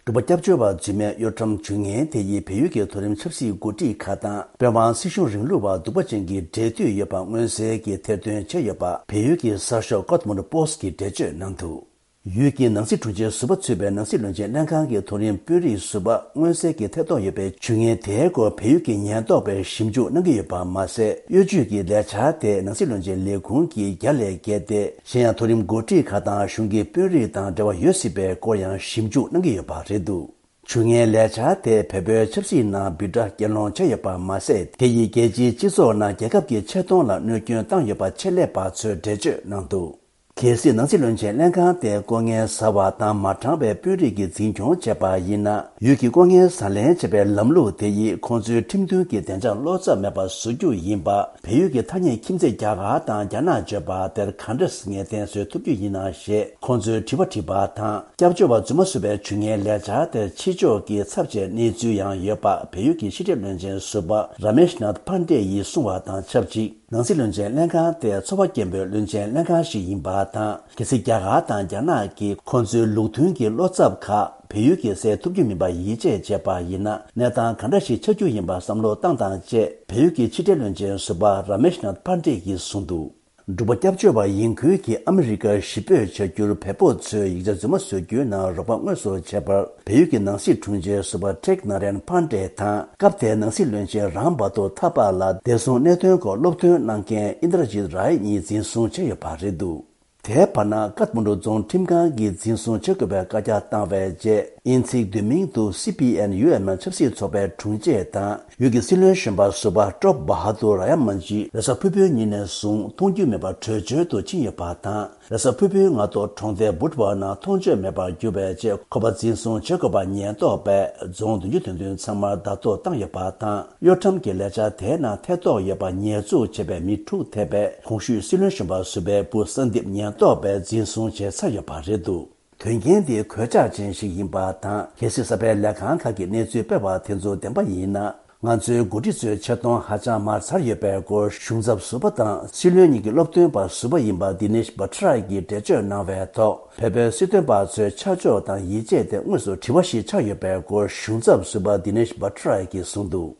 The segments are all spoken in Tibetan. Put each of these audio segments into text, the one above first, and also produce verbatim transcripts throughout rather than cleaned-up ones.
འབྲུག་པ་སྐྱབས་བཅོལ་བ་རྫུན་མའི་གཡོ་ཁྲམ་ཇུས་ངན་དེ་ཡིས་བལ་ཡུལ་གྱི་མཐོ་རིམ་ཆབ་སྲིད་འགོ་ཁྲིད་ཁག་དང་དཔོན་དབང་སྲིད་གཞུང་རིང་ལུགས་པ་གདུག་པ་ཅན་གྱི་འབྲེལ་མཐུད་ཡོད་པ་མངོན་གསལ་གྱིས་ཐེར་འདོན་བྱས་ཡོད་པ་བལ་ཡུལ་གྱི་གསར་ཤོག་ཀོཐ་མན་ཌུ་པོ་སི་ཊི་གིས་འགྲེལ་བརྗོད་གནང་འདུག་ཡུལ་གྱི་ནང་སྲིད་དྲུང་ཆེ་ཟུར་པ་ཚུད་པའི་ནང་སྲིད་བློན་ཆེན་ལྷན་ཁང་གི་མཐོ་རིམ་དཔོན་རིགས་ཟུར་པ་མངོན་གསལ་གྱིས་ཐེ་གཏོགས་ཡོད་པའི་ཇུས་ངན་དེའི་སྐོར་བལ་ཡུལ་གྱི་ཉེན་རྟོག་པས་ཞིབ་འཇུག་གནང་གི་ཡོད་པ་མ་ཟད། གཡོ་ཇུས་ཀྱི་ལས་འཆར་དེ་ནང་སྲིད་བློན་ཆེན་ལས་ཁུངས་ཀྱིས་རྒྱ་ལས་བརྒལ་ཏེ། གཞན་ཡང་མཐོ་རིམ་འགོ་ཁྲིད་ཁག་དང་གཞུང་གི་དཔོན་རིགས་དང་འབྲེལ་བ་ཡོད་སྲིད་པའི་སྐོར་ཡང་ཞིབ་འཇུག་གནང་གི་ཡོད་པ་རེད་འདུག་ཇུས་ངན་ལས་འཆར་དེ་བལ་པོའི་ཆབ་སྲིད་ནང་འབོད་སྒྲ་སྐྱོན་སློང་བྱས་ཡོད་པ་མ་ཟད། དེ་ཡིས་རྒྱལ་སྤྱིའི་སྤྱི་ཚོགས་ནང་རྒྱལ་ཁབ་ཀྱི་ཆེ་མཐོང་ལ་གནོད་སྐྱོན་བཏང་ཡོད་པ་ཆེད་ལས་པ་ཚོས་འགྲེལ་བརྗོད་གནང་འདུག་གལ་སྲིད་ནང་སྲིད་བློན་ཆེན་ལྷན་ཁང་དེ་ལྐོག་རྔན་ཟ་བ་དང་མ་དྲང་བའི་དཔོན་རིགས་ཀྱིས་འཛིན་སྐྱོང་བྱས་པ་ཡིན་ན། ཡུལ་གྱི་ལྐོག་རྔན་ཟ་ལེན་བྱེད་པའི་ལམ་ལུགས་དེ་ཡིས་ཁོང་ཚོའི་ཁྲིམས་མཐུན་གྱི་བདེ་འཇགས་བློ་འཚབ་མེད་པ་བཟོ་རྒྱུ་ཡིན་པ། བལ་ཡུལ་གྱི་ཐ་སྙད་ཁྱིམ་མཚེས་རྒྱ་གར་དང་རྒྱ་ནག་བརྗོད་པ་དེར་ག་འདྲ་ངེས་གཏན་བཟོ་ཐུབ་རྒྱུ་ཡིན་ནམ་ཞེས་ཁོང་ཚོས་དྲི་བ་དྲིས་པ་དང་། སྐྱབས་བཅོལ་བ་རྫུན་མ་བཟོ་བའི་ཇུས་ངན་ལས་འཆར་དེར་ཕྱི་ཕྱོགས་ཀྱི་ཚབ་བྱས་གནས་ཚུལ་ཡང་ཡོད་པ་བལ་ཡུལ་གྱི་ཕྱི་འབྲེལ་བློན་ཆེན་ཟུར་པ་ར་མེཤ་ནཱཐ་ཕན་ཌེ་ཡིས་གསུངས་པ་དང་ཆབས་ཅིག་ནང་སྲིད་བློན་ཆེན་ལྷན་ཁང་དེ་ཚོར་བ་སྐྱེན་པོའི་བློན་ཆེན་ལྷན་ཁང་ཞིག་ཡིན་པ་དང་། གལ་སྲིད་རྒྱ་གར་དང་རྒྱ་ནག་གིས་ཁོང་ཚོའི་ལུགས་མཐུན་གྱི་བློ་འཚབ་ཁག་བལ་ཡུལ་གྱིས་སེལ་ཐུབ་རྒྱུ་མིན་པ་ཡིད་ཆེས་བྱས་པ་ཡིན་ན། གནས་སྟངས་ག་འདྲ་ཞིག་ཆགས་རྒྱུ་ཡིན་པ་བསམ་བློ་བཏང་སྟངས་བཅས་བལ་ཡུལ་གྱི་ཕྱི་འབྲེལ་བློན་ཆེན་ཟུར་པ་ར་མེཤ་ནཱཐ་ཕན་ཌེ་ཡིས་གསུངས་འདུག་འབྲུག་པ་སྐྱབས་བཅོལ་བ་ཡིན་ཁུལ་གྱིས་ཨ་མི་རི་ཀར་གཞིས་སྤོས་བྱ་རྒྱུར་བལ་པོ་ཚོས་ཡིག་ཆ་རྫུན་མ་བཟོ་རྒྱུའི་ནང་རོགས་པ་དངོས་སུ་བྱས་པར། བལ་ཡུལ་གྱི་ནང་སྲིད་དྲུང་ཆེ་ཟུར་པ་ཊེག་ནཱ་རན་ཕན་ཌེ་དང་། སྐབས་དེའི་ནང་སྲིད་བློན་ཆེན་རམ་བྷ་དོ་ཐ་པ་ལ་བདེ་སྲུང་གནད་དོན་སྐོར་སློབ་སྟོན་གནང་མཁན་ཨིན་དྲ་ཇིད་རའི་གཉིས་འཛིན་བཟུང་བྱས་ཡོད་པ་རེད་འདུག་དེའི་བར་ན་ཀཐ་མན་ཌུ་རྫོང་ཁྲིམས་ཁང་གིས་འཛིན་བཟུང་བྱེད་དགོས་པའི་བཀའ་རྒྱ་བཏང་བའི་རྗེས། དབྱིན་ཚིག་བསྡུས་མིང་དུ་སི་པི་ཨེན་ཡུ་ཨེམ་ཆབ་སྲིད་ཚོགས་པའི་དྲུང་ཆེ་དང་། ཡུལ་གྱི་སྲིད་བློན་གཞོན་པ་ཟུར་པ་ཀྲོབ་བྷ་ཧ་དུར་ར་ཡ་མན་ཇི་རེས་གཟའ་ཕུར་བུའི་ཉིན་ནས་བཟུང་མཐོང་རྒྱུ་མེད་པར་བྲོས་བྱོལ་དུ་ཕྱིན་ཡོད་པ་དང་། རེས་གཟའ་ཕུར་བུའི་སྔ་དྲོ་གྲོང་རྡལ་བུད་ཝར་ནང་མཐོང་ཆོས་མེད་པར་གྱུར་བའི་རྗེས། ཁོ་པ་འཛིན་བཟུང་བྱེད་དགོས་པ་ཉེན་རྟོག་པས་རྫོང་བདུན་ཅུ་དོན་བདུན་ཚང་མར་བརྡ་ཐོ་བཏང་ཡོད་པ་དང་། གཡོ་ཁྲམ་གྱི་ལས་འཆར་དེའི་ནང་ཐེ་གཏོགས་ཡོད་པ་ཉེས་འཛུགས་བྱས་པའི་མི་དྲུག་ཐེ་བའི་གོང་ཞུས་སྲིད་བློན་གཞོན་པ་ཟུར་པའི་བུ་ས་འདིབ་ཉེན་རྟོག་པས་འཛིན་བཟུང་བྱས་ཚར་ཡོད་པ་རེད་འདུག་དོན་རྐྱེན་འདི་གོད་ཆག་ཅན་ཞིག་ཡིན་པ་དང་། གལ་སྲིད་གསར་པའི་ལས་ཁང་ཁག་གི་གནས་ཚུལ་སྤེལ་བ་དེ་ཚོ་བདེན་པ་ཡིན་ན། ང་ཚོའི་འགོ་ཁྲིད་ཚོའི་ཆེ་མཐོང་ཧ་ཅང་མར་ཚར་ཡོད་པའི་སྐོར། གཞུང་ཚབ་ཟུར་པ་དང་སྲིད་བློན་གཉིས་ཀྱི་སློབ་སྟོན་པ་ཟུར་པ་ཡིན་པ་དི་ནེཤ་བྷ་ཊ་ར་གིས་འགྲེལ་བརྗོད་གནང་བའི་ཐོག་བལ་པོའི་སྲིད་དོན་པ་ཚོའི་ཆ་འཇོག་དང་ཡིད་ཆེས་དེ་དངོས་སུ་དྲི་བ་ཞིག་ཆགས་ཡོད་པའི་སྐོར། གཞུང་ཚབ་ཟུར་པ་དི་ནེཤ་བྷ་ཊ་ར་གིས་གསུངས་འདུག་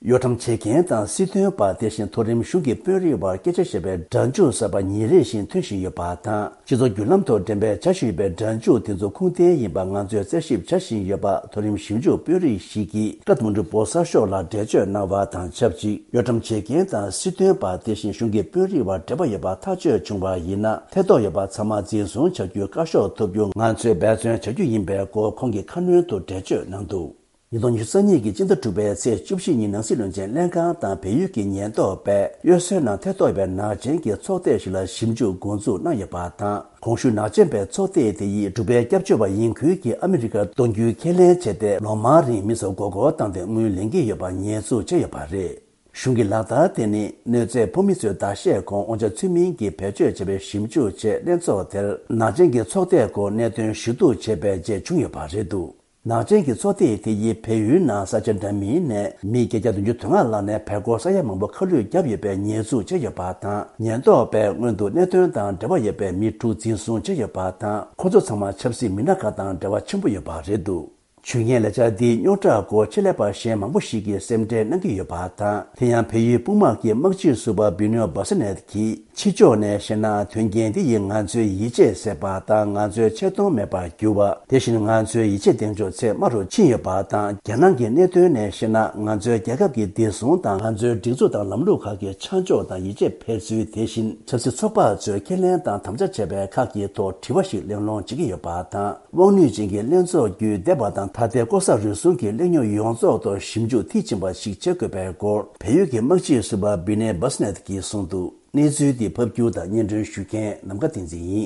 གཡོ་ཁྲམ་བྱེད་མཁན་དང་སྲིད་དོན་པ། དེ་བཞིན་མཐོ་རིམ་གཞུང་གི་དཔོན་རིགས་བར་སྐད་ཆ་བཤད་པའི་སྒྲ་འཇུག་གསར་པ་ཉིན་རེ་བཞིན་ཐོན་བཞིན་ཡོད་པ་དང་། སྤྱི་ཚོགས་བརྒྱུད་ལམ་ཐོག་འགྲེམས་སྤེལ་བྱ་བཞིན་ཡོད་པའི་སྒྲ་འཇུག་དེ་ཚོ་ཁུངས་ལྡན་ཡིན་པ་ང་ཚོས་རྩད་ཞིབ་བྱ་བཞིན་ཡོད་པ། མཐོ་རིམ་ཞིབ་འཇུག་དཔོན་རིགས་ཤིག་གིས་ཀཐ་མན་ཌུ་པོ་སི་གསར་ཤོག་ལ་འགྲེལ་བརྗོད་གནང་བ་དང་ཆབས་ཅིག་གཡོ་ཁྲམ་བྱེད་མཁན་དང་སྲིད་དོན་པ། དེ་བཞིན་གཞུང་གི་དཔོན་རིགས་བར་འབྲེལ་བ་ཡོད་པ་ཐག་གཅོད་བྱུང་བ་ཡིན་ན། ཐེ་གཏོགས་ཡོད་པ་ཚང་མ་འཛིན་བཟུང་བྱ་རྒྱུའི་བཀའ་ཤོག་ཐོབ་རྒྱུ་ང་ཚོས་འབད་བརྩོན་བྱ་རྒྱུ་ཡིན་པའི་སྐོར་ཁོང་གིས་ཁ་སྣོན་དུ་འགྲེལ་བརྗོད་གནང་འདུག་ཉིས་སྟོང་ཉི་ཤུ་རྩ་གཉིས་ཀྱི་སྤྱི་ཟླ་དྲུག་པའི་ཚེས་བཅུ་བཞི་ཉིན་ནང་སྲིད་བློན་ཆེན་ལྷན་ཁང་དང་བལ་ཡུལ་གྱི་ཉེན་རྟོག་པས་གཡོ་ཟོལ་ནང་ཐེ་གཏོགས་པའི་ནག་ཅན་གྱི་ཚོགས་སྡེ་ཞིག་ལ་ཞིབ་འཇུག་འགོ་འཛུགས་གནང་ཡོད་པ་དང་། གོང་ཞུས་ནག་ཅན་པའི་ཚོགས་སྡེ་དེ་ཡིས་འབྲུག་པའི་སྐྱབས་བཅོལ་བ་ཡིན་ཁུལ་གྱིས་ཨ་མི་རི་ཀར་གཏོང་རྒྱུའི་ཁས་ལེན་བྱས་ཏེ། ལོ་མང་རིང་མི་ཚོར་མགོ་སྐོར་བཏང་སྟེ་དངུལ་ལེན་གྱི་ཡོད་པ་ཉེས་འཛུགས་བྱས་ཡོད་པ་རེད། གཞུང་གི་ལག་བསྟར་དེ་ནི་གནོད་འཚེ་ཕོག་མི་ཚོའི་ཟླ་ཤས་གོང་དབང་ཆ་ཚུལ་མིན་གྱིས་བེད་སྤྱོད་བྱས་པའི་ཞིབ་འཇུག་ཆེད་ལྷན་ཚོགས་དེར་ནག་ཅན་གྱི་ཚོགས་སྡེའི་སྐོར་གནད་དོན་ཞུ་གཏུག་བྱས་པའི་རྗེས་བྱུང་ཡོད་པ་རེད་འདུག་ནག་ཅན་གྱི་ཚོགས་སྡེ་དེ་ཡིས་བལ་ཡུལ་ནང་ས་ཆ་འདྲ་མིན་ནས་མི་བརྒྱད་བརྒྱ་བདུན་ཅུ་དོན་ལྔ་ལྷག་ནས་བལ་སྒོར་ས་ཡ་མང་པོ་ཁ་བསླུས་བརྒྱབ་ཡོད་པའི་ཉེས་འཛུགས་བྱས་ཡོད་པ་དང་། ཉེན་རྟོག་པས་སྔོན་དུ་གནད་དོན་དང་འབྲེལ་བ་ཡོད་པའི་མི་དྲུག་འཛིན་བཟུང་བྱས་ཡོད་པ་དང་། ཁོ་ཚོ་ཚང་མ་ཆབ་སྲིད་མི་སྣ་ཁག་དང་འབྲེལ་བ་ཆེན་པོ་ཡོད་པ་རེད་འདུག་ཇུས་ངན་ལས་འཆར་འདིའི་རྙོག་དྲ་སྐོར་ཆེད་ལས་པ་གཞན་མང་པོ་ཞིག་གིས་སེམས་ཁྲལ་གནང་གི་ཡོད་པ་དང་། དེ་ཡང་བལ་ཡུལ་དཔུང་དམག་གི་དམག་སྤྱི་ཟུར་པ་བི་ནོ་བྷ་ས་ནེད་ཀྱིས། ཕྱི་ཕྱོགས་ནས་བཤད་ན། དོན་རྐྱེན་འདི་ཡིས་ང་ཚོའི་ཡིད་ཆེས་ཟད་པ་དང་། ང་ཚོའི་ཆེ་མཐོང་མེད་པར་གྱུར་བ། དེ་བཞིན་ང་ཚོའི་ཡིད་ཆེས་གདེང་འཇོག་ཚད་དམའ་རུ་ཕྱིན་ཡོད་པ་དང་། རྒྱལ་ནང་གི་གནད་དོན་ནས་བཤད་ན། ང་ཚོའི་རྒྱལ་ཁབ་ཀྱི་བདེ་སྲུང་དང་། ང་ཚོའི་སྒྲིག་འཛུགས་དང་ལམ་ལུགས་ཁག་གི་ཆ་འཇོག་དང་ཡིད་ཆེས་འཕེར་ཚུལ། དེ་བཞིན་ཆབ་སྲིད་ཚོགས་པ་ཚོས་ཁས་ལེན་དང་དམ་བཅའ་བྱས་པའི་ཁག་གི་ཐོག་དྲི་བ་ཞིག་གླེང་སློང་བྱེད་ཀྱི་ཡོད་པ་དང་། དབང་ནུས་ཅན་གྱི་ལྷན་ཚོགས་བརྒྱུད་འདས་པ་དང་ད་ལྟའི་ལྐོག་ཟ་རུལ་སུངས་ཀྱི་གླེང་རྙོག་ཡོངས་རྫོགས་ཐོག་ཞིབ་འཇུག་མཐིལ་ཕྱིན་པ་ཞིག་བྱེད་དགོས་པའི་སྐོར། བལ་ཡུལ་གྱི་དམག་སྤྱི་ཟུར་པ་བི་ནེ་བྷ་སི་ནེད་ཀྱིས་གསུངས་འདུག་གནས་ཚུལ་འདི་ཕབ་སྒྱུར་དང་སྙན་སྒྲོན་ཞུ་མཁན་ནམ་མཁའ་བསྟན་འཛིན་ཡིན།